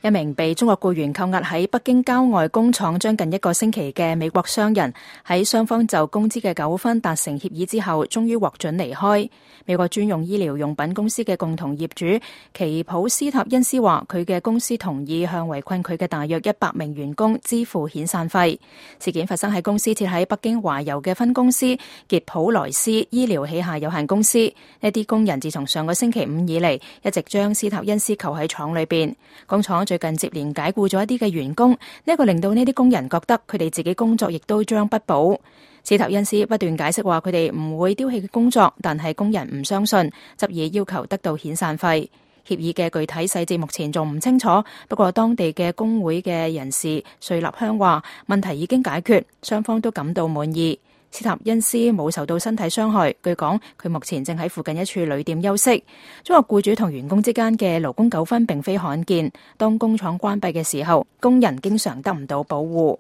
一名被中國僱員扣押喺北京郊外工廠將近1個星期嘅美國商人，喺雙方就工資嘅糾紛達成協議之後，終於獲准離開。美國專用醫療用品公司嘅共同業主奇普斯塔恩斯話，佢嘅公司同意向圍困佢嘅大約100名員工支付遣散費。事件發生喺公司設喺北京華油嘅分公司傑普萊斯醫療器械有限公司。呢啲工人自從上個星期5以嚟，一直將斯塔恩斯扣喺廠裏邊。工廠最近接連解僱咗一啲嘅員工，呢個令到呢啲工人覺得佢哋自己工作亦都將不保。斯塔恩斯不斷解釋話佢哋唔會丟棄嘅工作，但係工人唔相信，執意要求得到遣散費。協議嘅具體細節目前仲唔清楚，不過當地嘅工會嘅人士瑞立香話問題已經解決，雙方都感到滿意。斯塔恩斯冇受到身體傷害，據講佢目前正喺附近一處旅店休息。中國僱主同員工之間嘅勞工糾紛並非罕見，當工廠關閉嘅時候，工人經常得唔到保護。